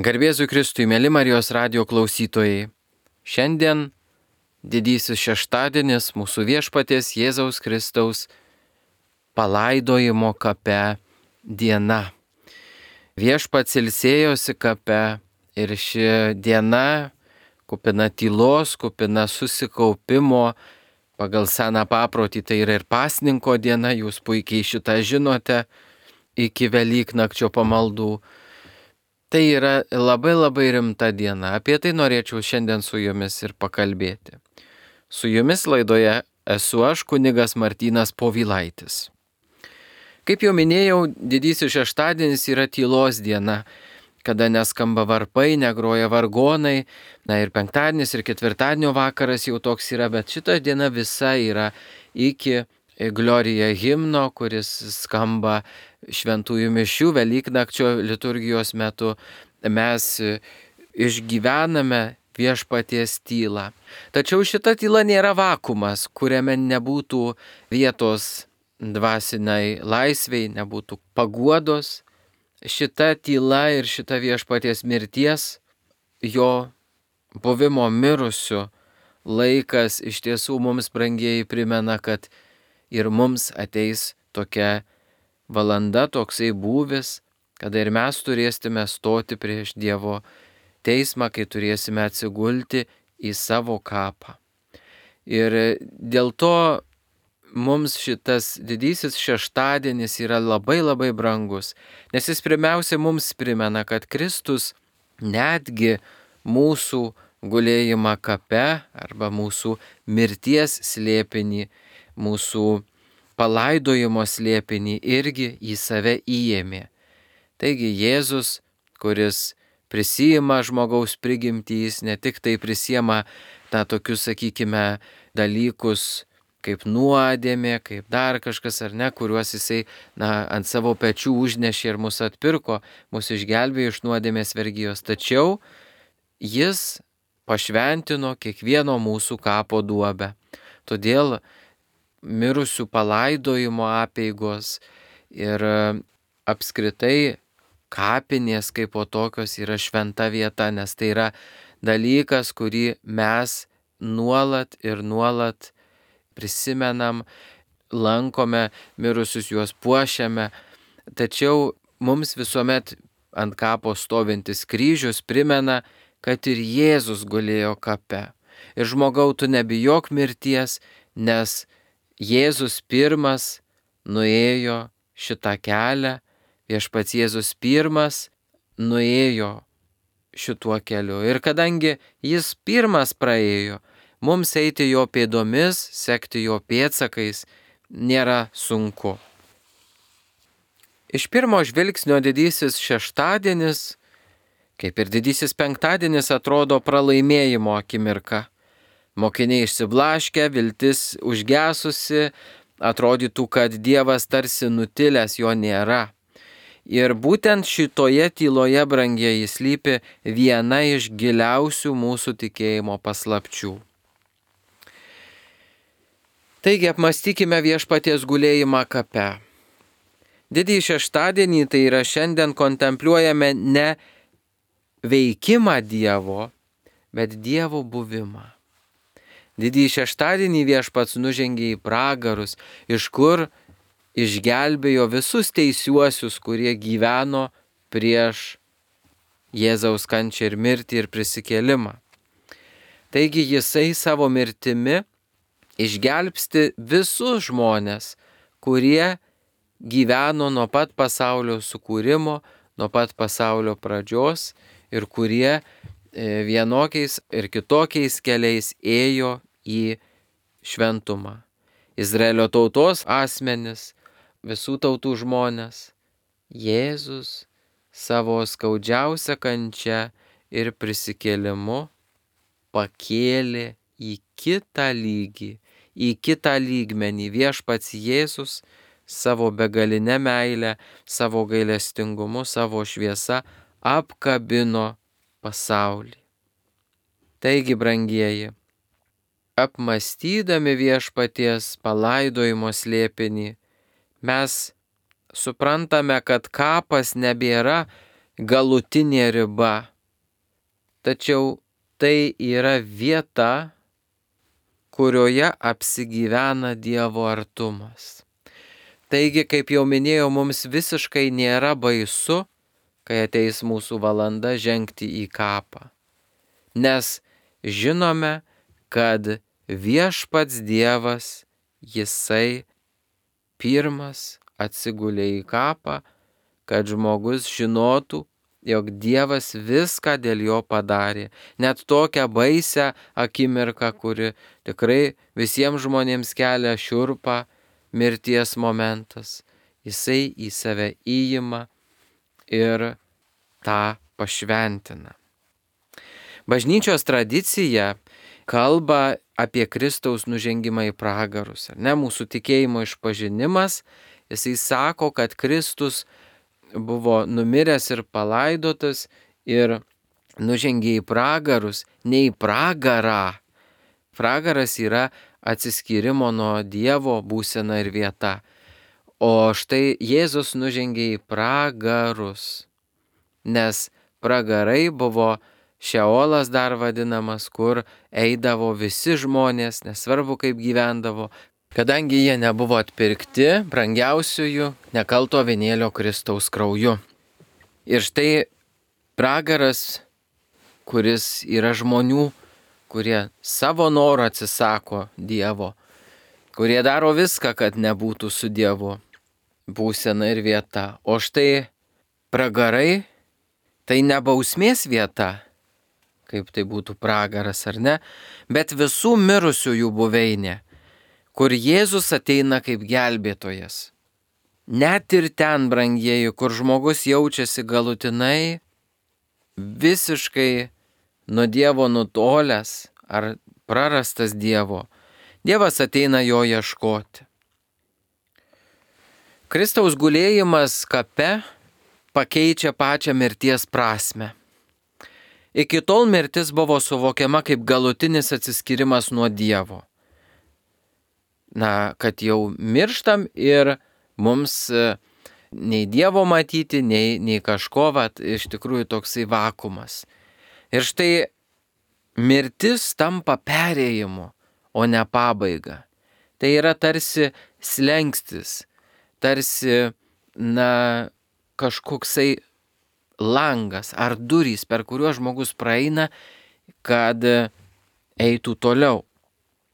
Garbėzui Kristui, mėly Marijos radijo klausytojai. Šiandien didysis šeštadienis mūsų viešpaties Jėzaus Kristaus palaidojimo kape diena. Viešpats ilsėjosi kape ir ši diena kupina tylos, kupina susikaupimo. Pagal seną paprotį tai yra ir pasninko diena, jūs puikiai šitą žinote, iki Velyknakčio pamaldų. Tai yra labai rimta diena. Apie tai norėčiau šiandien su jumis ir pakalbėti. Su jumis laidoje esu aš, kunigas Martynas Povilaitis. Kaip jau minėjau, didysis šeštadienis yra tylos diena, kada neskamba varpai, negroja vargonai. Na ir penktadienis ir ketvirtadienio vakaras jau toks yra, bet šita diena visa yra iki Glorija himno, kuris skamba šventųjų mišių Velyknakčio liturgijos metu. Mes išgyvename viešpaties tylą. Tačiau šita tyla nėra vakumas, kuriame nebūtų vietos dvasiniai laisvei, nebūtų paguodos. Šita tyla ir šita viešpaties mirties, jo buvimo mirusiu laikas iš tiesų mums, brangieji, primena, kad ir mums ateis tokia valanda, toksai būvis, kada ir mes turėsime stoti prieš Dievo teismą, kai turėsime atsigulti į savo kapą. Ir dėl to mums šitas didysis šeštadienis yra labai brangus, nes jis pirmiausia mums primena, kad Kristus netgi mūsų gulėjimą kape arba mūsų mirties slėpinį, mūsų palaidojimo slėpinį irgi į save įėmė. Taigi Jėzus, kuris prisijima žmogaus prigimtį, jis ne tik tai prisijima tokius, sakykime, dalykus kaip nuodėmė, kaip dar kažkas ar ne, kuriuos jisai ant savo pečių užnešė ir mus atpirko, mus išgelbėjo iš nuodėmės vergijos. Tačiau jis pašventino kiekvieno mūsų kapo duobę. Todėl mirusių palaidojimo apeigos ir apskritai kapinės kaip po tokios yra šventa vieta, nes tai yra dalykas, kurį mes nuolat prisimenam, lankome mirusius, juos puošiame, tačiau mums visuomet ant kapo stovintis kryžius primena, kad ir Jėzus gulėjo kape. Ir žmogau, tu nebijok mirties, nes Jėzus pirmas nuėjo šitą kelią, viešpats Jėzus pirmas nuėjo šituo keliu. Ir kadangi jis pirmas praėjo, mums eiti jo pėdomis, sekti jo pėdsakais nėra sunku. Iš pirmo žvilgsnio didysis šeštadienis, kaip ir didysis penktadienis, atrodo pralaimėjimo akimirka. Mokiniai išsiblaškę, viltis užgesusi, atrodytų, kad Dievas tarsi nutilęs, jo nėra. Ir būtent šitoje tyloje, brangieji, slypi viena iš giliausių mūsų tikėjimo paslapčių. Taigi apmąstykime viešpaties gulėjimą kape. Didįjį šeštadienį, tai yra šiandien, kontempliuojame ne veikimą Dievo, bet Dievo buvimą. Didįjį šeštadienį viešpats nužengė į pragarus, iš kur išgelbėjo visus teisiuosius, kurie gyveno prieš Jėzaus kančią ir mirtį ir prisikėlimą. Taigi jisai savo mirtimi išgelbsti visus žmones, kurie gyveno nuo pat pasaulio sukūrimo, nuo pat pasaulio pradžios ir kurie vienokiais ir kitokiais keliais ėjo į šventumą. Izraelio tautos asmenis, visų tautų žmonės, Jėzus savo skaudžiausią kančią ir prisikėlimu pakėlė į kitą lygį, į kitą lygmenį. Viešpats Jėzus savo begalinę meilę, savo gailestingumu, savo šviesa apkabino pasaulį. Taigi, brangieji, apmąstydami viešpaties palaidojimo slėpinį, mes suprantame, kad kapas nebėra galutinė riba, tačiau tai yra vieta, kurioje apsigyvena Dievo artumas. Taigi, kaip jau minėjau, mums visiškai nėra baisu, kai ateis mūsų valanda žengti į kapą. Nes žinome, kad viešpats Dievas, jisai pirmas atsigulė į kapą, kad žmogus žinotų, jog Dievas viską dėl jo padarė. Net tokią baisią akimirką, kuri tikrai visiems žmonėms kelia šiurpą, mirties momentas. Jisai į save įima ir tą pašventina. Bažnyčios tradicija kalba apie Kristaus nužengimą į pragarus. Mūsų tikėjimo išpažinimas, jisai sako, kad Kristus buvo numiręs ir palaidotas ir nužengė į pragarus, ne į pragarą. Pragaras yra atsiskyrimo nuo Dievo būsena ir vieta. O štai Jėzus nužengė į pragarus, nes pragarai buvo Šeolas dar vadinamas, kur eidavo visi žmonės, nesvarbu kaip gyvendavo, kadangi jie nebuvo atpirkti brangiausiųjų nekalto avinėlio Kristaus krauju. Ir štai pragaras, kuris yra žmonių, kurie savo norą atsisako Dievo, kurie daro viską, kad nebūtų su Dievu būsena ir vieta. O štai pragarai tai ne bausmės vieta, kaip tai būtų pragaras ar ne, bet visų mirusiųjų buveinė, kur Jėzus ateina kaip gelbėtojas. Net ir ten, brangieji, kur žmogus jaučiasi galutinai visiškai nuo Dievo nutolęs ar prarastas Dievo, Dievas ateina jo ieškoti. Kristaus gulėjimas kape pakeičia pačią mirties prasme. Iki tol mirtis buvo suvokiama kaip galutinis atsiskyrimas nuo Dievo. Kad jau mirštam ir mums nei Dievo matyti, nei kažko, iš tikrųjų toksai vakumas. Ir štai mirtis tampa perėjimu, o ne pabaiga. Tai yra tarsi slenkstis, tarsi, kažkoksai langas ar durys, per kuriuos žmogus praeina, kad eitų toliau.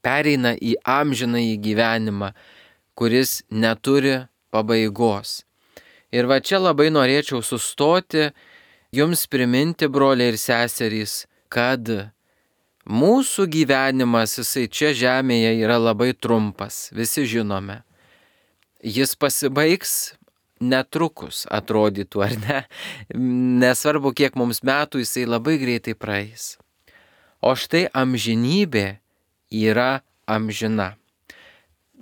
Pereina į amžinąjį gyvenimą, kuris neturi pabaigos. Ir čia labai norėčiau sustoti, jums priminti, broliai ir seserys, kad mūsų gyvenimas, jisai čia žemėje yra labai trumpas, visi žinome. Jis pasibaigs netrukus, atrodytų, ar ne? Nesvarbu, kiek mums metų, jisai labai greitai praeis. O štai amžinybė yra amžina.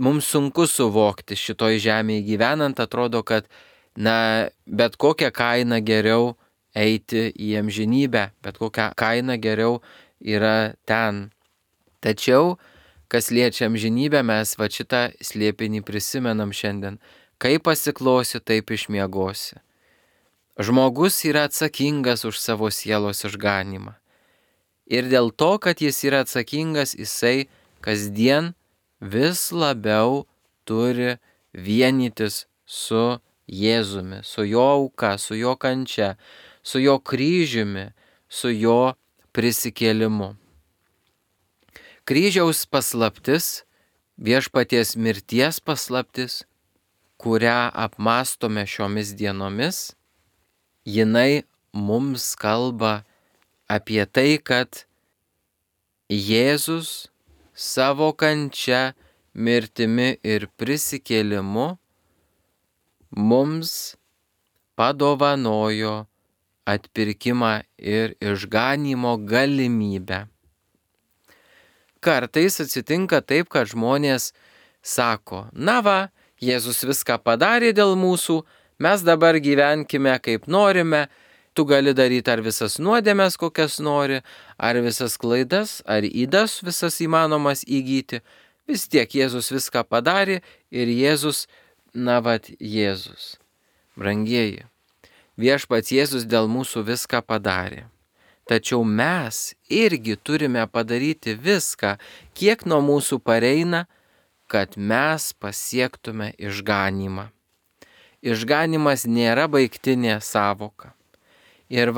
Mums sunku suvokti šitoj žemėje gyvenant, atrodo, kad, bet kokią kainą geriau eiti į amžinybę, bet kokią kainą geriau yra ten. Tačiau, kas liečia amžinybę, mes šitą slėpinį prisimenam šiandien. Kaip pasiklosi, taip išmiegosi. Žmogus yra atsakingas už savo sielos išganymą. Ir dėl to, kad jis yra atsakingas, jisai kasdien vis labiau turi vienytis su Jėzumi, su jo auka, su jo kančia, su jo kryžiumi, su jo prisikėlimu. Kryžiaus paslaptis, viešpaties mirties paslaptis, kurią apmastome šiomis dienomis, jinai mums kalba apie tai, kad Jėzus savo kančia, mirtimi ir prisikėlimu mums padovanojo atpirkimą ir išganymo galimybę. Kartais atsitinka taip, kad žmonės sako, Jėzus viską padarė dėl mūsų, mes dabar gyvenkime kaip norime, tu gali daryti ar visas nuodėmes, kokias nori, ar visas klaidas, ar ydas visas įmanomas įgyti. Vis tiek Jėzus viską padarė ir Jėzus, Jėzus. Brangieji, viešpats Jėzus dėl mūsų viską padarė. tačiau mes irgi turime padaryti viską, kiek nuo mūsų pareina, kad mes pasiektume išganymą. Išganimas nėra baigtinė sąvoka. Ir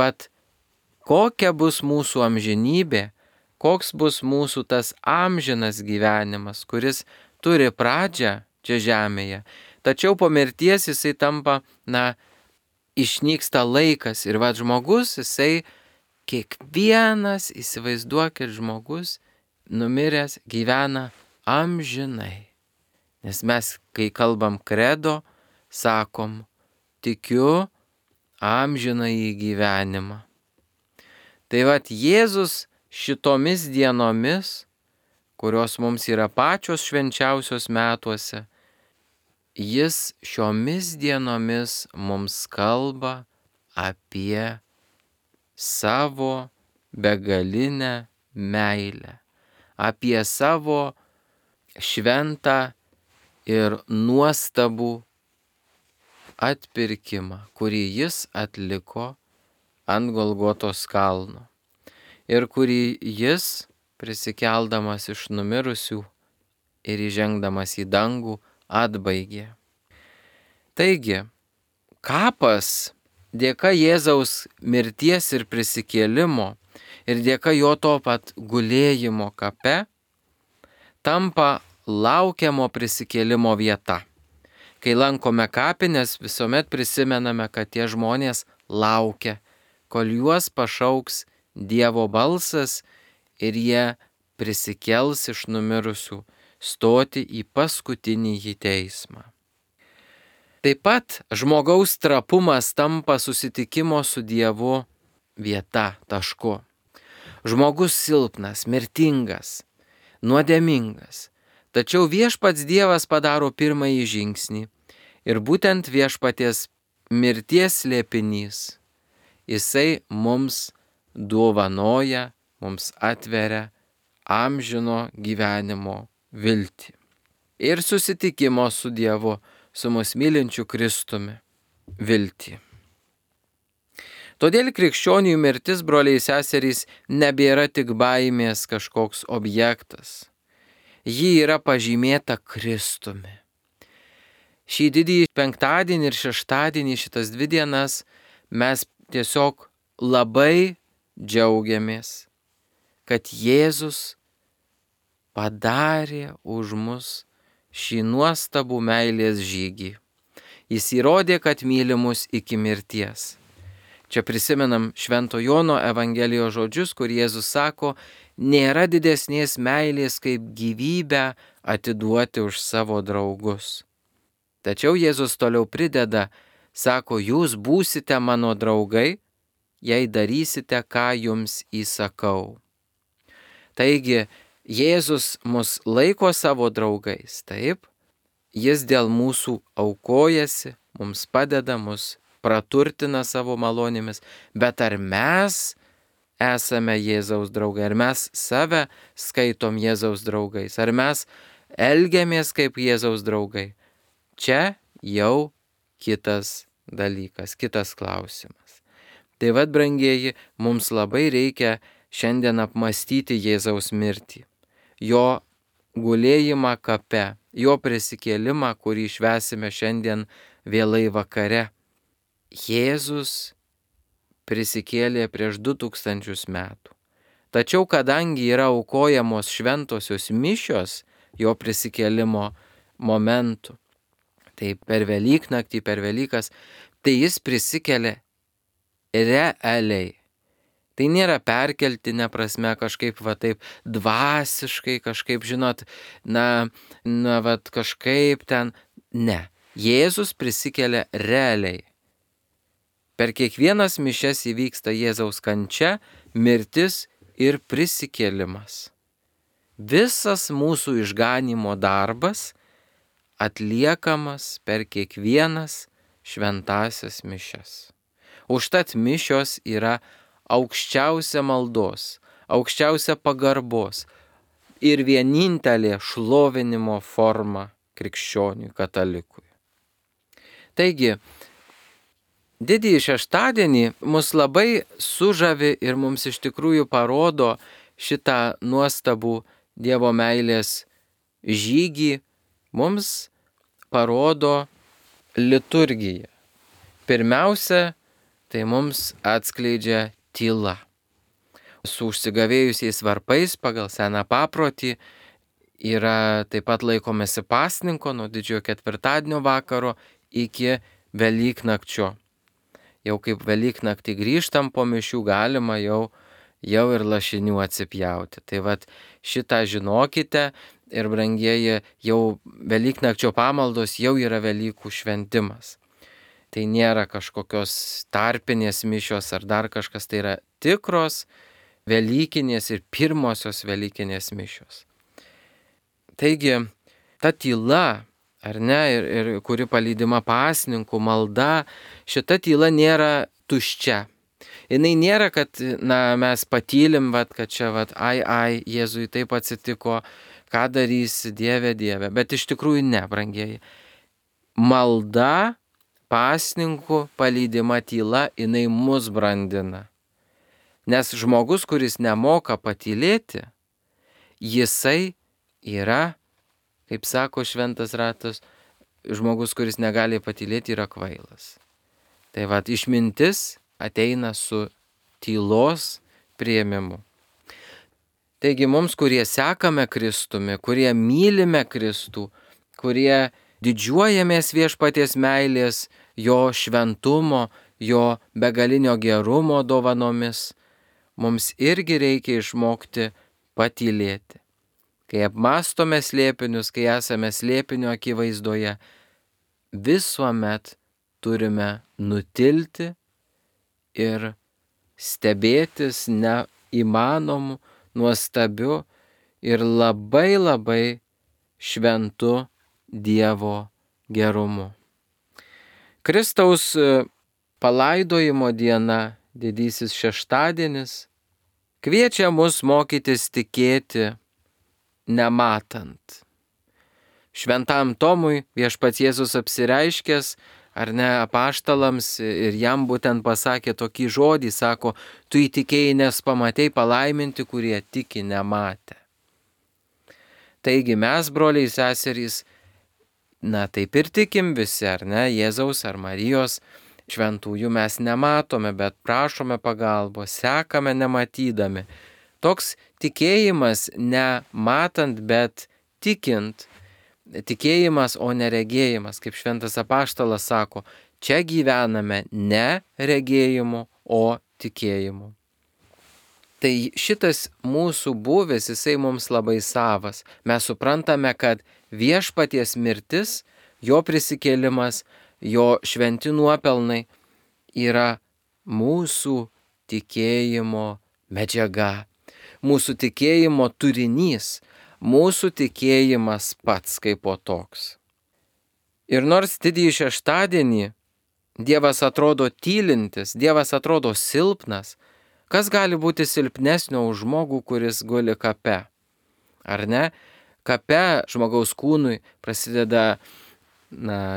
kokia bus mūsų amžinybė, koks bus mūsų tas amžinas gyvenimas, kuris turi pradžią čia žemėje, tačiau po mirties jisai tampa, išnyksta laikas ir žmogus, jisai kiekvienas, įsivaizduokit, žmogus numiręs gyvena amžinai. Nes mes, kai kalbam kredo, sakom, tikiu amžinąjį gyvenimą. Tai Jėzus šitomis dienomis, kurios mums yra pačios švenčiausios metuose, jis šiomis dienomis mums kalba apie savo begalinę meilę, apie savo šventą ir nuostabų atpirkimą, kurį jis atliko ant Golgotos kalno ir kurį jis, prisikeldamas iš numirusių ir įžengdamas į dangų, atbaigė. Taigi, kapas dėka Jėzaus mirties ir prisikėlimo ir dėka jo to pat gulėjimo kape tampa laukiamo prisikėlimo vieta. Kai lankome kapines, visuomet prisimename, kad tie žmonės laukia, kol juos pašauks Dievo balsas ir jie prisikels iš numirusių, stoti į paskutinį teismą. Taip pat žmogaus trapumas tampa susitikimo su Dievu vieta, tašku. Žmogus silpnas, mirtingas, nuodėmingas. Tačiau viešpats Dievas padaro pirmąjį žingsnį ir būtent viešpaties mirties slėpinys, jisai mums dovanoja, mums atveria amžino gyvenimo viltį. Ir susitikimo su Dievu, su mus mylinčiu Kristumi viltį. Todėl krikščionių mirtis, broliai seserys, nebėra tik baimės kažkoks objektas. Ji yra pažymėta Kristumi. Šį didįjį penktadienį ir šeštadienį, šitas 2 dienas, mes tiesiog labai džiaugiamės, kad Jėzus padarė už mus šį nuostabų meilės žygį. Jis įrodė, kad myli mus iki mirties. Čia prisimenam Švento Jono Evangelijos žodžius, kur Jėzus sako, nėra didesnės meilės kaip gyvybę atiduoti už savo draugus. Tačiau Jėzus toliau prideda, sako, jūs būsite mano draugai, jei darysite, ką jums įsakau. Taigi, Jėzus mus laiko savo draugais, taip? Jis dėl mūsų aukojasi, mums padeda, mus praturtina savo malonėmis, bet ar mes esame Jėzaus draugai, ar mes save skaitom Jėzaus draugais, ar mes elgiamės kaip Jėzaus draugai? Čia jau kitas dalykas, kitas klausimas. Tai brangieji, mums labai reikia šiandien apmastyti Jėzaus mirtį, jo gulėjimą kape, jo prisikėlimą, kurį švęsime šiandien vėlai vakare. Jėzus prisikėlė prieš 2000 metų. Tačiau kadangi yra aukojamos šventosios mišios jo prisikėlimo momentu, tai per Velyknaktį, per Velykas, tai jis prisikėlė realiai. Tai nėra perkeltinė prasme kažkaip taip dvasiškai, kažkaip, žinot, kažkaip ten. Ne. Jėzus prisikėlė realiai. Per kiekvienas mišias įvyksta Jėzaus kančia, mirtis ir prisikėlimas. Visas mūsų išganymo darbas atliekamas per kiekvienas šventasias mišias. Užtat mišios yra aukščiausia maldos, aukščiausia pagarbos ir vienintelė šlovinimo forma krikščioniui, katalikui. Taigi, Didįjį šeštadienį mus labai sužavi ir mums iš tikrųjų parodo šitą nuostabų Dievo meilės žygį, mums parodo liturgija. Pirmiausia, tai mums atskleidžia tyla. Su užsigavėjusiais varpais pagal seną paprotį yra taip pat laikomasi pasninko nuo didžiojo ketvirtadienio vakaro iki Velyknakčio. Jau kaip Velyknaktį grįžtam po mišių galima jau ir lašinių atsipjauti. Tai vat šitą žinokite ir brangieji, jau Velyknakčio pamaldos jau yra Velykų šventimas. Tai nėra kažkokios tarpinės mišios ar dar kažkas, tai yra tikros Velykinės ir pirmosios Velykinės mišios. Taigi, ta tyla, ar ne, ir kuri palydima pasninkų malda, šita tyla nėra tuščia. Jinai nėra, kad mes patylim, kad čia, ai, Jėzui taip atsitiko, ką darysi, Dieve, bet iš tikrųjų ne, brangieji. Malda, pasninkų palydima tyla, jinai mus brandina. Nes žmogus, kuris nemoka patylėti, jisai yra, kaip sako šventas ratas, žmogus, kuris negali patylėti, yra kvailas. Tai išmintis ateina su tylos priėmimu. Taigi mums, kurie sekame Kristumi, kurie mylime Kristų, kurie didžiuojamės viešpaties meilės, jo šventumo, jo begalinio gerumo dovanomis, mums irgi reikia išmokti patylėti. Kai apmastome slėpinius, kai esame slėpinio akivaizdoje, visuomet turime nutilti ir stebėtis neįmanomu, nuostabiu ir labai šventu Dievo gerumu. Kristaus palaidojimo diena, didysis šeštadienis, kviečia mus mokytis tikėti nematant. Šventam Tomui viešpats Jėzus apsireiškęs, ar ne, apaštalams ir jam būtent pasakė tokį žodį, sako, tu įtikėjai, nes pamatei, palaiminti, kurie tiki nematę. Taigi mes, broliai seserys, taip ir tikim visi, ar ne, Jėzaus ar Marijos šventųjų mes nematome, bet prašome pagalbos, sekame nematydami. Toks tikėjimas nematant, bet tikint, tikėjimas, o ne regėjimas, kaip šventas apaštalas sako, čia gyvename ne regėjimu, o tikėjimu. Tai šitas mūsų būvis, jisai mums labai savas. Mes suprantame, kad viešpaties mirtis, jo prisikėlimas, jo šventi nuopelnai yra mūsų tikėjimo medžiaga, mūsų tikėjimo turinys, mūsų tikėjimas pats kaip po toks. Ir nors didįjį šeštadienį Dievas atrodo tylintis, Dievas atrodo silpnas, kas gali būti silpnesnio už žmogų, kuris guli kape? Ar ne? Kape žmogaus kūnui prasideda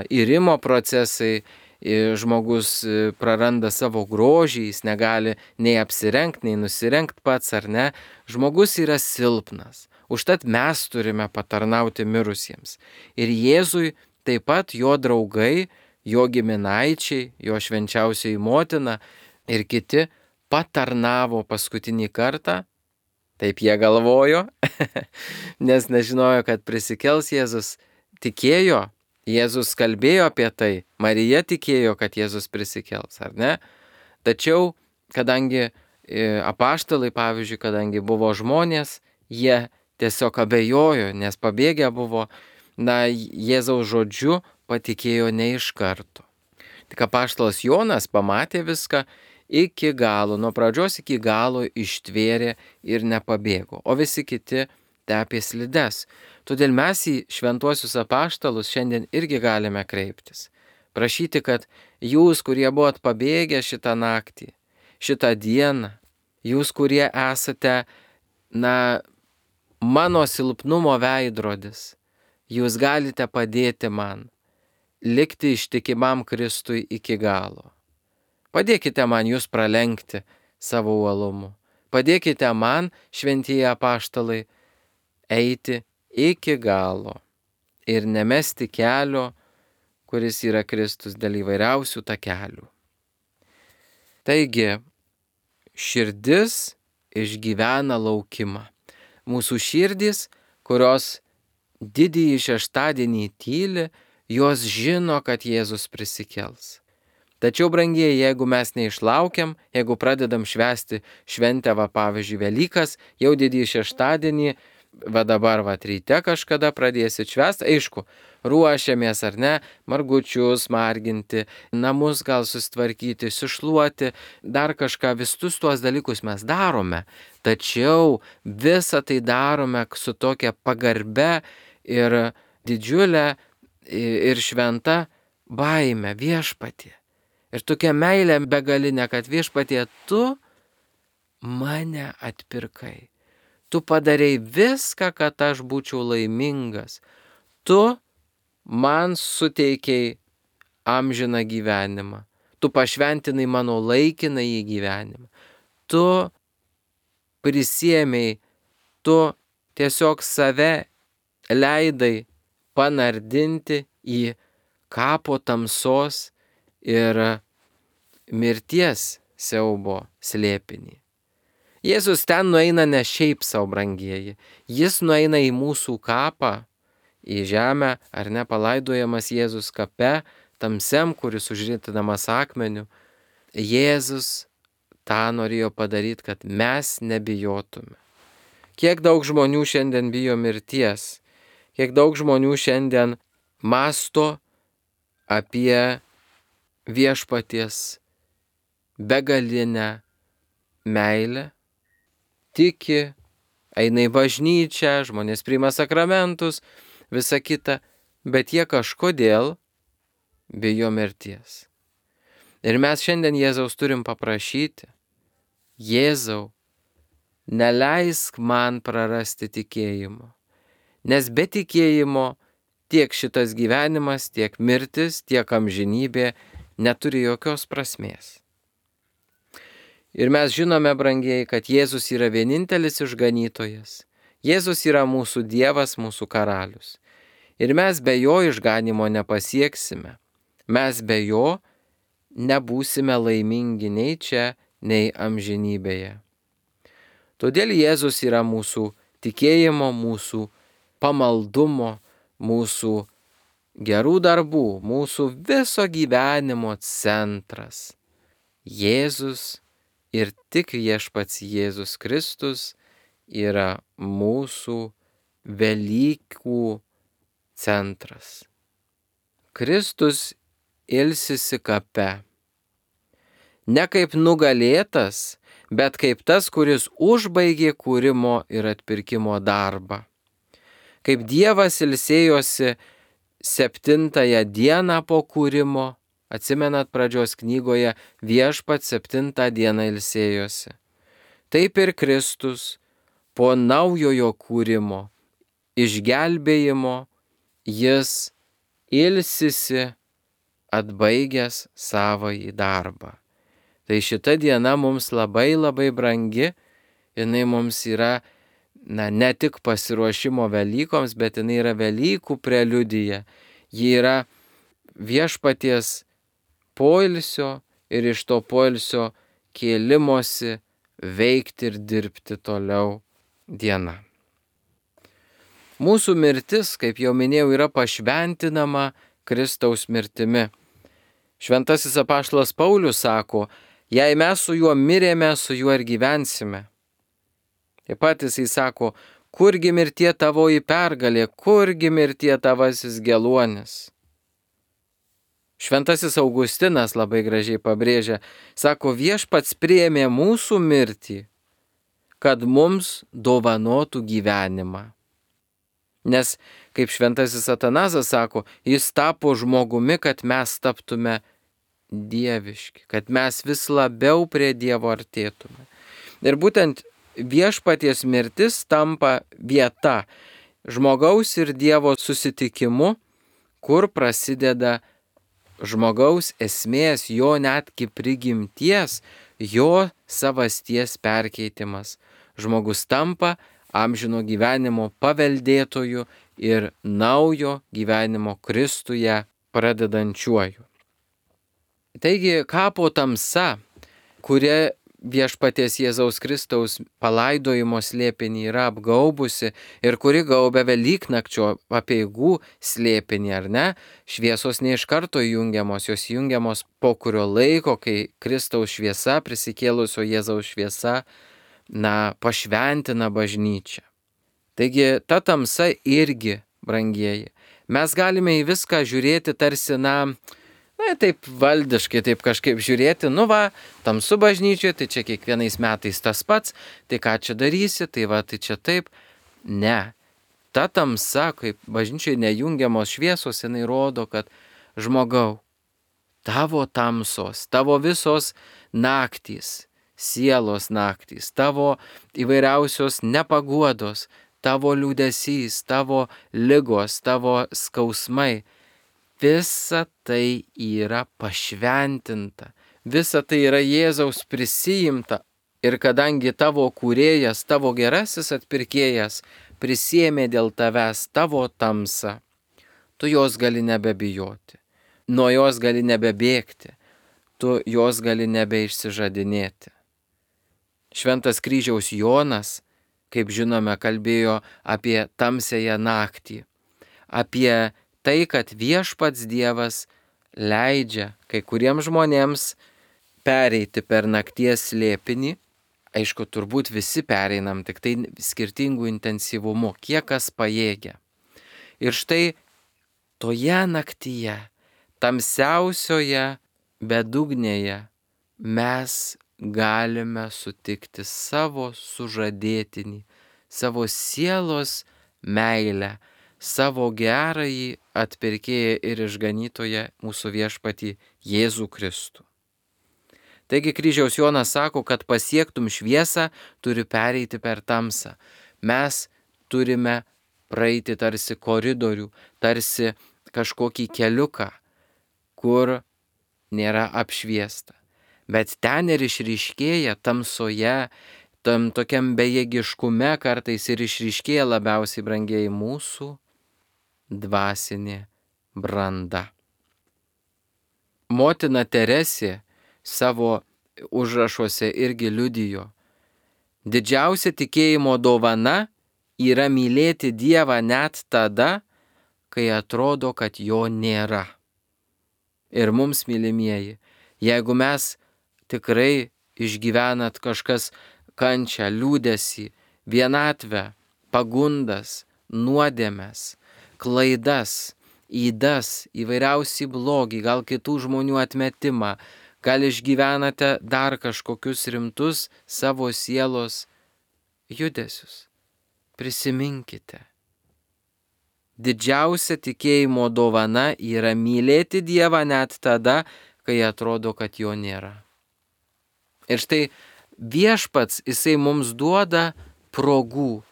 irimo procesai, žmogus praranda savo grožį, jis negali nei apsirengti, nei nusirengti pats, ar ne? Žmogus yra silpnas. Užtat mes turime patarnauti mirusiems. Ir Jėzui taip pat jo draugai, jo giminaičiai, jo švenčiausioji motina ir kiti patarnavo paskutinį kartą. Taip jie galvojo, nes nežinojo, kad prisikels Jėzus. Tikėjo, Jėzus kalbėjo apie tai, Marija tikėjo, kad Jėzus prisikels, ar ne? Tačiau, kadangi apaštalai, pavyzdžiui, kadangi buvo žmonės, jie tiesiog abejojo, nes pabėgę buvo, Jėzaus žodžiu patikėjo ne iš karto. Tik apaštalas Jonas pamatė viską iki galo, nuo pradžios iki galo ištvėrė ir nepabėgo, o visi kiti tepė slides. Todėl mes į šventuosius apaštalus šiandien irgi galime kreiptis. Prašyti, kad jūs, kurie buvot pabėgę šitą naktį, šitą dieną, jūs, kurie esate, mano silpnumo veidrodis, jūs galite padėti man likti ištikimam Kristui iki galo. Padėkite man jūs pralenkti savo uolumu. Padėkite man, šventieji apaštalai, eiti iki galo ir nemesti kelio, kuris yra Kristus, dėl įvairiausių takelių. Taigi, širdis išgyvena laukimą. Mūsų širdys, kurios didįjį šeštadienį tyli, jos žino, kad Jėzus prisikels. Tačiau, brangieji, jeigu mes neišlaukiam, jeigu pradedam švęsti šventę, pavyzdžiui, Velykas, jau didįjį šeštadienį, dabar ryte kažkada pradėsit švęsti, aišku, ruošiamės ar ne, margučius marginti, namus gal susitvarkyti, sušluoti, dar kažką, visus tuos dalykus mes darome, tačiau visą tai darome su tokia pagarbe ir didžiulė ir šventa baime Viešpatie. Ir tokia meilė begalinė, kad Viešpatie, tu mane atpirkai. Tu padarei viską, kad aš būčiau laimingas. Tu man suteikiai amžiną gyvenimą. Tu pašventinai mano laikinąjį gyvenimą. Tu prisiėmei, tu tiesiog save leidai panardinti į kapo tamsos ir mirties siaubo slėpinį. Jėzus ten nueina ne šiaip savo, brangieji. Jis nueina į mūsų kapą, į žemę, ar ne, palaidojamas Jėzus kape, tamsiam, kuris užritinamas akmeniu. Jėzus tą norėjo padaryti, kad mes nebijotume. Kiek daug žmonių šiandien bijo mirties, kiek daug žmonių šiandien mąsto apie Viešpaties begalinę meilę, tiki, eina į bažnyčią, žmonės priima sakramentus, visa kita, bet jie kažkodėl bijo mirties. Ir mes šiandien Jėzaus turim paprašyti: Jėzau, neleisk man prarasti tikėjimo, nes be tikėjimo tiek šitas gyvenimas, tiek mirtis, tiek amžinybė neturi jokios prasmės. Ir mes žinome, brangieji, kad Jėzus yra vienintelis išganytojas. Jėzus yra mūsų Dievas, mūsų karalius. Ir mes be jo išganimo nepasieksime. Mes be jo nebūsime laimingi nei čia, nei amžinybėje. Todėl Jėzus yra mūsų tikėjimo, mūsų pamaldumo, mūsų gerų darbų, mūsų viso gyvenimo centras. Jėzus ir tik Viešpats Jėzus Kristus yra mūsų Velykų centras. Kristus ilsisi kape. Ne kaip nugalėtas, bet kaip tas, kuris užbaigė kūrimo ir atpirkimo darbą. Kaip Dievas ilsėjosi 7 dieną po kūrimo, atsimenat pradžios knygoje, Viešpats 7 dieną ilsėjosi. Taip ir Kristus po naujojo kūrimo, išgelbėjimo, jis ilsisi atbaigęs savąjį darbą. Tai šita diena mums labai labai brangi, jinai mums yra ne tik pasiruošimo Velykoms, bet jinai yra Velykų preliudija. Ji yra Viešpaties poilsio ir iš to poilsio kėlimosi veikti ir dirbti toliau diena. Mūsų mirtis, kaip jau minėjau, yra pašventinama Kristaus mirtimi. Šventasis apaštalas Paulius sako: jei mes su juo mirėme, su juo ir gyvensime. Taip pat jisai sako: kurgi mirtie tavoji pergalė, kurgi mirtie tavasis geluonis. Šventasis Augustinas labai gražiai pabrėžia, sako: Viešpats priėmė mūsų mirtį, kad mums dovanotų gyvenimą. Nes, kaip šventasis Atanazas sako, jis tapo žmogumi, kad mes taptume dieviški, kad mes vis labiau prie Dievo artėtume. Ir būtent Viešpaties mirtis tampa vieta žmogaus ir Dievo susitikimu, kur prasideda žmogaus esmės, jo netgi prigimties, jo savasties perkeitimas. Žmogus tampa amžino gyvenimo paveldėtoju ir naujo gyvenimo Kristuje pradedančiuoju. Taigi kapo tamsa, kuria viešpaties Jėzaus Kristaus palaidojimo slėpinį yra apgaubusi ir kuri gaubia Velyknakčio apeigų slėpinį, ar ne? Šviesos ne iš karto jungiamos, jos jungiamos po kurio laiko, kai Kristaus šviesa, prisikėlusio Jėzaus šviesa, pašventina bažnyčią. Taigi ta tamsa irgi, brangieji, mes galime į viską žiūrėti tarsi, taip valdiškai, taip kažkaip žiūrėti, tamsu bažnyčioje, tai čia kiekvienais metais tas pats, tai ką čia darysi, tai čia taip. Ne. Ta tamsa, kaip bažnyčioje nejungiamos šviesos, jinai rodo, kad žmogau, tavo tamsos, tavo visos naktys, sielos naktys, tavo įvairiausios nepaguodos, tavo liūdesys, tavo ligos, tavo skausmai, visa tai yra pašventinta, visa tai yra Jėzaus prisijimta. Ir kadangi tavo kūrėjas, tavo gerasis atpirkėjas prisiėmė dėl tavęs tavo tamsą, tu jos gali nebebijoti, nuo jos gali nebebėgti, tu jos gali nebeišsižadinėti. Šventas kryžiaus Jonas, kaip žinome, kalbėjo apie tamsiąją naktį, apie tai, kad viešpats Dievas leidžia kai kuriems žmonėms pereiti per nakties slėpinį. Aišku, turbūt visi pereinam, tik tai skirtingų intensyvumų, kiek kas pajėgia. Ir štai toje naktyje, tamsiausioje bedugnėje, mes galime sutikti savo sužadėtinį, savo sielos meilę, savo gerąjį atpirkėją ir išganytoją mūsų viešpatį Jėzų Kristų. Taigi kryžiaus Jonas sako, kad pasiektum šviesą, turi pereiti per tamsą. Mes turime praeiti tarsi koridorių, tarsi kažkokį keliuką, kur nėra apšviesta. Bet ten ir išryškėja tamsoje, tam tokiam bejėgiškume kartais ir išryškėja labiausiai, brangieji, mūsų dvasinė branda. Motina Teresė savo užrašuose irgi liudijo: didžiausia tikėjimo dovana yra mylėti Dievą net tada, kai atrodo, kad jo nėra. Ir mums, mylimieji, jeigu mes tikrai išgyvenat kažkas kančią, liūdesį, vienatvę, pagundas, nuodėmes, klaidas, ydas, įvairiausią blogį, gal kitų žmonių atmetimą, gal išgyvenate dar kažkokius rimtus savo sielos judesius. Prisiminkite. Didžiausia tikėjimo dovana yra mylėti Dievą net tada, kai atrodo, kad jo nėra. Ir štai viešpats, jisai mums duoda progų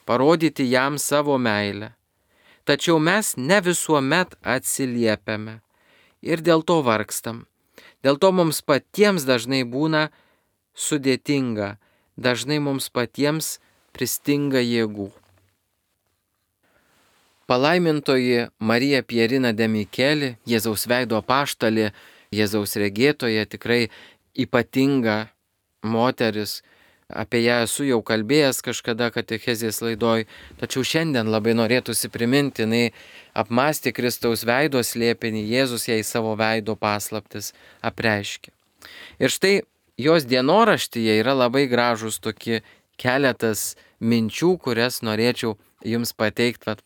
parodyti jam savo meilę. Tačiau mes ne visuomet atsiliepiame ir dėl to vargstam. Dėl to mums patiems dažnai būna sudėtinga, dažnai mums patiems pristinga jėgų. Palaimintoji Marija Pierina de Micheli, Jėzaus veido apaštalė, Jėzaus regėtoja, tikrai ypatinga moteris. Apie ją esu jau kalbėjęs kažkada katechezės laidoj, tačiau šiandien labai norėtųsi priminti, jinai apmąstė Kristaus veido slėpinį, Jėzus jai savo veido paslaptis apreiškė. Ir štai jos dienoraštyje yra labai gražus tokie keletas minčių, kurias norėčiau jums pateikti,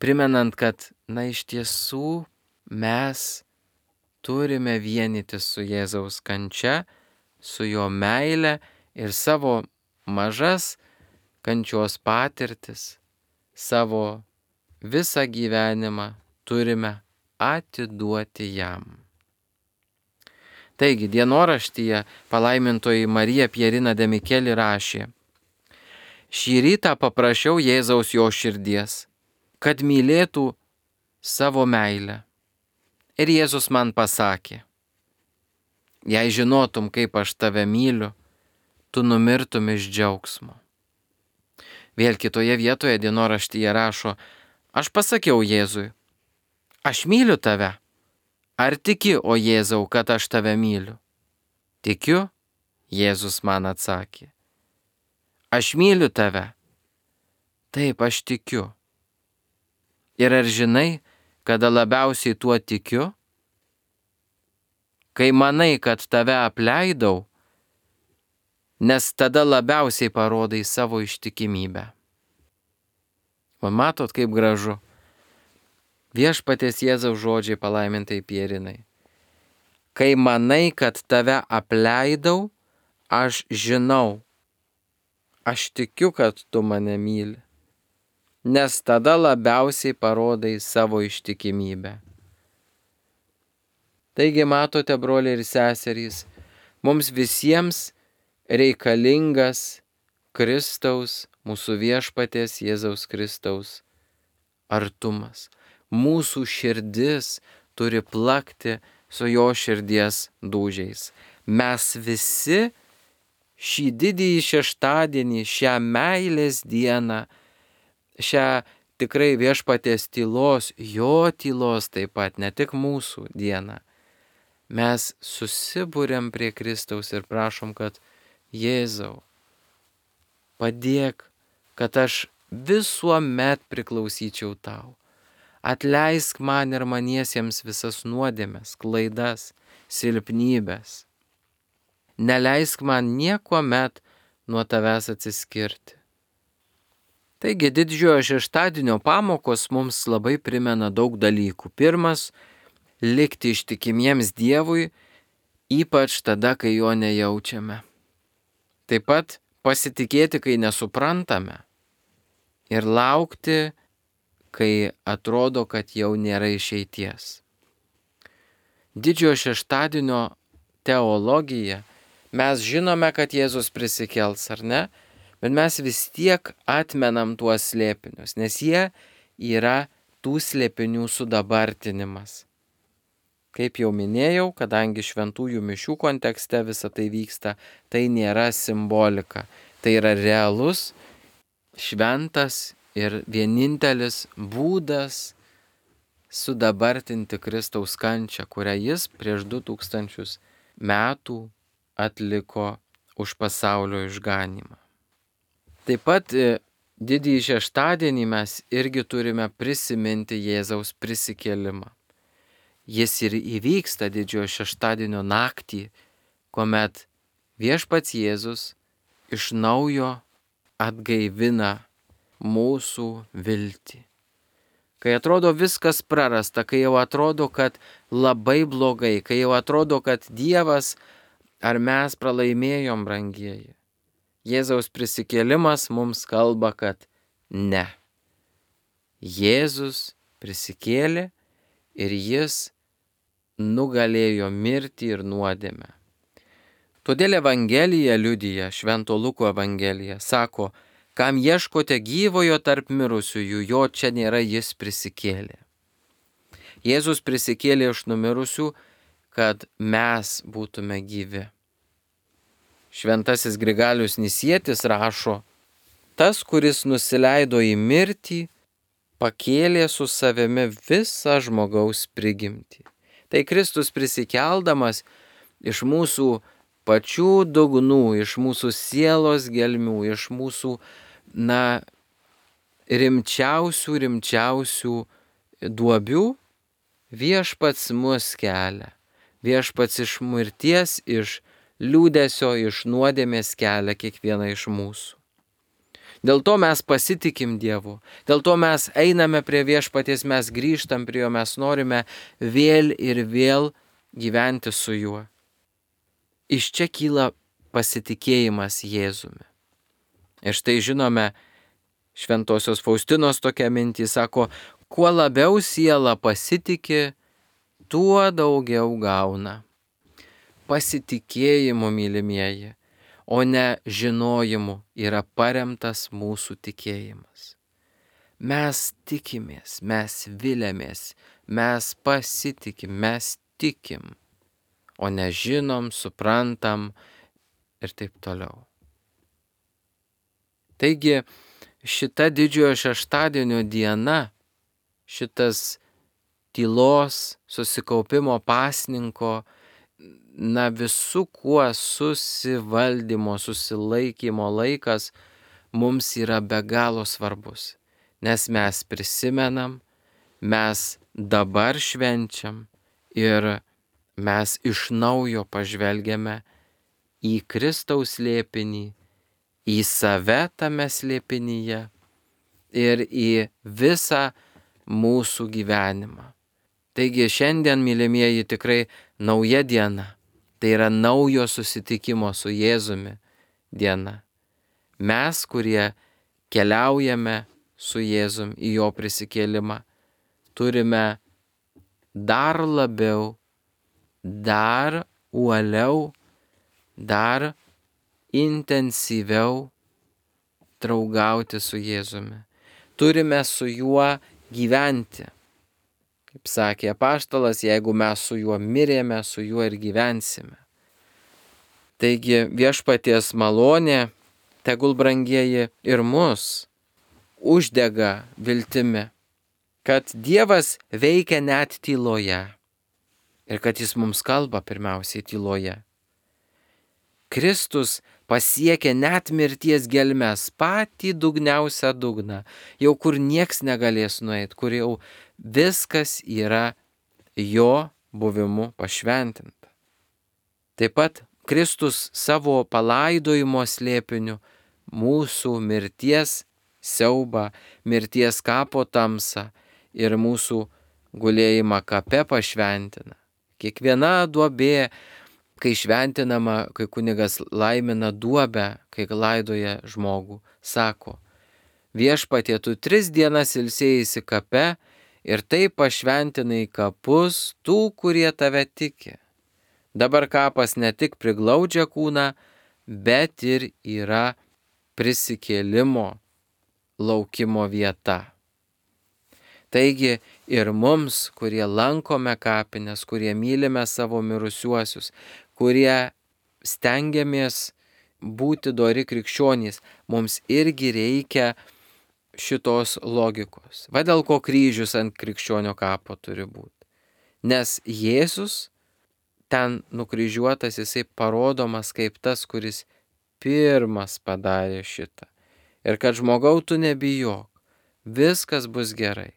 primenant, kad iš tiesų mes turime vienytis su Jėzaus kančia, su jo meile, ir savo mažas kančios patirtis, savo visą gyvenimą turime atiduoti jam. Taigi, dienoraštyje palaimintoji Marija Pierina de Micheli rašė: šį rytą paprašiau Jėzaus jo širdies, kad mylėtų savo meilę Ir Jėzus man pasakė, jei žinotum, kaip aš tave myliu, tu numirtum iš džiaugsmo. Vėl kitoje vietoje dienoraštyje rašo, aš pasakiau Jėzui, aš myliu tave. Ar tiki, o Jėzau, kad aš tave myliu? Tikiu, Jėzus man atsakė. Aš myliu tave. Taip, aš tikiu. Ir ar žinai, kada labiausiai tuo tikiu? Kai manai, kad tave apleidau, nes tada labiausiai parodai savo ištikimybę. O matot, kaip gražu. Viešpaties Jėzaus žodžiai palaimintai Pierinai. Kai manai, kad tave apleidau, aš žinau. Aš tikiu, kad tu mane myli. Nes tada labiausiai parodai savo ištikimybę. Taigi matote, broliai ir seserys, mums visiems reikalingas Kristaus, mūsų viešpaties Jėzaus Kristaus artumas. Mūsų širdis turi plakti su jo širdies dūžiais. Mes visi šį didįjį šeštadienį, šią meilės dieną, šią tikrai viešpaties tylos, jo tylos taip pat, ne tik mūsų dieną, mes susibūrėm prie Kristaus ir prašom, kad Jėzau, padėk, kad aš visuomet priklausyčiau tau. Atleisk man ir maniesiems visas nuodėmes, klaidas, silpnybės. Neleisk man niekuomet nuo tavęs atsiskirti. Taigi didžiojo šeštadienio pamokos mums labai primena daug dalykų. Pirmas, likti ištikimiems Dievui, ypač tada, kai jo nejaučiame. Taip pat pasitikėti, kai nesuprantame. Ir laukti, kai atrodo, kad jau nėra išeities. Didžiojo šeštadienio teologija, mes žinome, kad Jėzus prisikels, ar ne? Bet mes vis tiek atmenam tuos slėpinius, nes jie yra tų slėpinių sudabartinimas. Kaip jau minėjau, kadangi šventųjų mišių kontekste visa tai vyksta, tai nėra simbolika. Tai yra realus, šventas ir vienintelis būdas sudabartinti Kristaus kančią, kurią jis prieš 2000 metų atliko už pasaulio išganymą. Taip pat didįjį šeštadienį mes irgi turime prisiminti Jėzaus prisikėlimą. Jis ir įvyksta didžiojo šeštadienio naktį, kuomet viešpats Jėzus iš naujo atgaivina mūsų viltį. Kai atrodo viskas prarasta, kai jau atrodo, kad labai blogai, kai jau atrodo, kad Dievas ar mes pralaimėjom, brangieji, Jėzaus prisikėlimas mums kalba, kad ne. Jėzus prisikėlė ir jis nugalėjo mirtį ir nuodėmę. Todėl Evangelija liudija, Švento Luko Evangelija, sako, kam ieškote gyvojo tarp mirusiųjų, jo čia nėra, jis prisikėlė. Jėzus prisikėlė iš numirusių, kad mes būtume gyvi. Šventasis Grigalius Nisietis rašo, tas, kuris nusileido į mirtį, pakėlė su savimi visą žmogaus prigimtį. Tai Kristus prisikeldamas iš mūsų pačių dugnų, iš mūsų sielos gelmių, iš mūsų, rimčiausių duobių, viešpats mus kelia. Viešpats iš mirties, iš liūdesio, iš nuodėmės kelia kiekvieną iš mūsų. Dėl to mes pasitikim Dievu, dėl to mes einame prie viešpaties, mes grįžtam prie jo, mes norime vėl ir vėl gyventi su juo. Iš čia kyla pasitikėjimas Jėzumi. Ir štai žinome, Šventosios Faustinos tokia mintį sako, kuo labiau siela pasitiki, tuo daugiau gauna. Pasitikėjimu, mylimieji, o ne žinojimu yra paremtas mūsų tikėjimas. Mes tikimės, mes viliamės, mes pasitikim, mes tikim, o nežinom, suprantam ir taip toliau. Taigi šita didžiojo šeštadienio diena, šitas tylos, susikaupimo pasninko, visų kuo susivaldymo, susilaikymo laikas mums yra be galo svarbus, nes mes prisimenam, mes dabar švenčiam ir mes iš naujo pažvelgiame į Kristaus slėpinį, į save tame slėpinyje ir į visą mūsų gyvenimą. Taigi šiandien, mylimieji, tikrai nauja diena. Tai yra naujo susitikimo su Jėzumi diena. Mes, kurie keliaujame su Jėzum į jo prisikėlimą, turime dar labiau, dar uoliau, dar intensyviau draugauti su Jėzumi. Turime su juo gyventi. Kaip sakė apaštalas, jeigu mes su juo mirėme, su juo ir gyvensime. Taigi viešpaties malonė, tegul brangieji ir mus uždega viltimi, kad Dievas veikia net tyloje ir kad jis mums kalba pirmiausiai tyloje. Kristus pasiekė net mirties gelmes, patį dugniausią dugną, jau kur nieks negalės nueiti, kur jau viskas yra jo buvimu pašventinta. Taip pat Kristus savo palaidojimo slėpiniu mūsų mirties siaubą, mirties kapo tamsą ir mūsų gulėjimą kape pašventina. Kiekviena duobė, kai šventinama, kai kunigas laimina duobę, kai laidoja žmogų, sako: Viešpatie, tu 3 dienas ilsėjaisi kape ir taip pašventinai kapus tų, kurie tave tiki. Dabar kapas ne tik priglaudžia kūną, bet ir yra prisikėlimo laukimo vieta. Taigi ir mums, kurie lankome kapines, kurie mylime savo mirusiuosius, kurie stengiamės būti dori krikščionys, mums irgi reikia šitos logikos. Va dėl ko kryžius ant krikščionio kapo turi būti. Nes Jėzus ten nukryžiuotas, jisai parodomas kaip tas, kuris pirmas padarė šitą. Ir kad žmogau, tu nebijok, viskas bus gerai.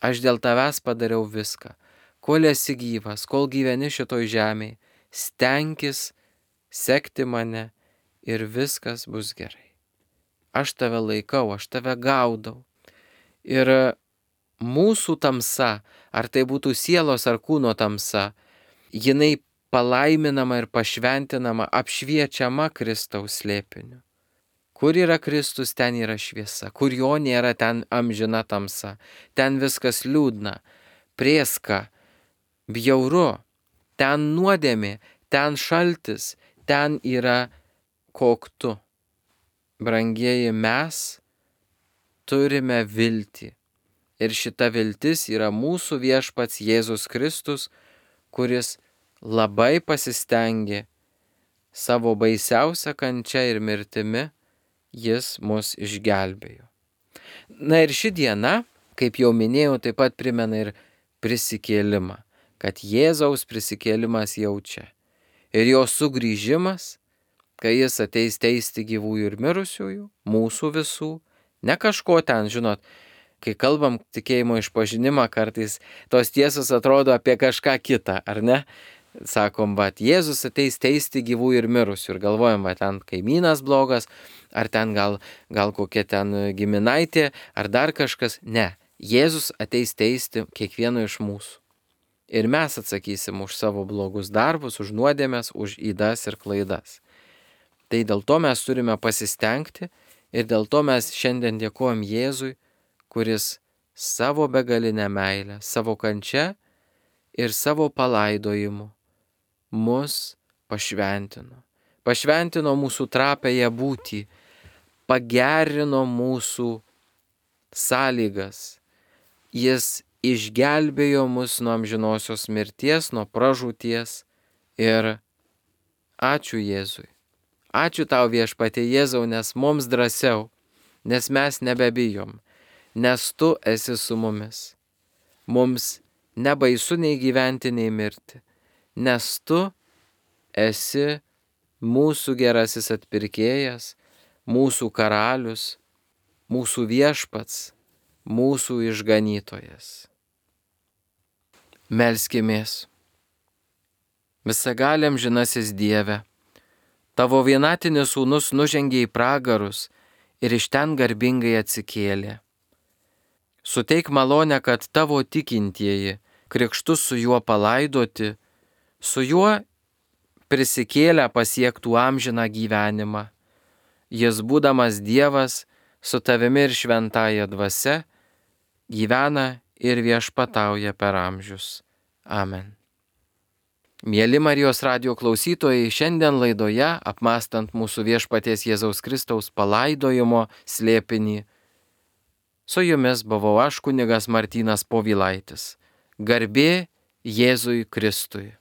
Aš dėl tavęs padariau viską. Kol esi gyvas, kol gyveni šitoj žemėje, stenkis sekti mane ir viskas bus gerai. Aš tave laikau, aš tave gaudau. Ir mūsų tamsa, ar tai būtų sielos ar kūno tamsa, jinai palaiminama ir pašventinama, apšviečiama Kristaus slėpiniu. Kur yra Kristus, ten yra šviesa. Kur jo nėra, ten amžina tamsa. Ten viskas liūdna, prėska, bjauru. Ten nuodėmė, ten šaltis, ten yra koktu. Brangieji, mes turime viltį. Ir šita viltis yra mūsų viešpats Jėzus Kristus, kuris labai pasistengė savo baisiausią kančią ir mirtimi. Jis mus išgelbėjo. Na ir ši diena, kaip jau minėjau, taip pat primena ir prisikėlimą, kad Jėzaus prisikėlimas jau čia. Ir jo sugrįžimas, kai jis ateis teisti gyvųjų ir mirusiųjų, mūsų visų, ne kažko ten, žinot, kai kalbam tikėjimo išpažinimą, kartais tos tiesos atrodo apie kažką kitą, ar ne? Sakom, Jėzus ateis teisti gyvųjų ir mirusių ir galvojam, ten kaimynas blogas, ar ten gal kokia ten giminaitė, ar dar kažkas. Ne, Jėzus ateis teisti kiekvieno iš mūsų. Ir mes atsakysim už savo blogus darbus, už nuodėmes, už ydas ir klaidas. Tai dėl to mes turime pasistengti ir dėl to mes šiandien dėkojam Jėzui, kuris savo begalinę meilę, savo kančią ir savo palaidojimu mus pašventino. Pašventino mūsų trapėje būtį, pagerino mūsų sąlygas. Jis išgelbėjo mus nuo amžinosios mirties, nuo pražūties. Ir ačiū Jėzui. Ačiū tau Viešpatie Jėzau, nes mums drąsiau, nes mes nebebijom, nes tu esi su mumis. Mums nebaisu nei gyventi, nei mirti, nes tu esi mūsų gerasis atpirkėjas, mūsų karalius, mūsų viešpats, mūsų išganytojas. Melskimės. Visagaliam žinasis Dieve, tavo vienatinis sūnus nužengė į pragarus ir iš ten garbingai atsikėlė. Suteik malonę, kad tavo tikintieji krikštu su juo palaidoti, su juo prisikėlę pasiektų amžiną gyvenimą. Jis, būdamas Dievas, su tavimi ir šventąja dvasia, gyvena ir viešpatauja per amžius. Amen. Mieli Marijos radijo klausytojai, šiandien laidoje, apmąstant mūsų Viešpaties Jėzaus Kristaus palaidojimo slėpinį, su jumis buvau aš, kunigas Martynas Povilaitis. Garbė Jėzui Kristui.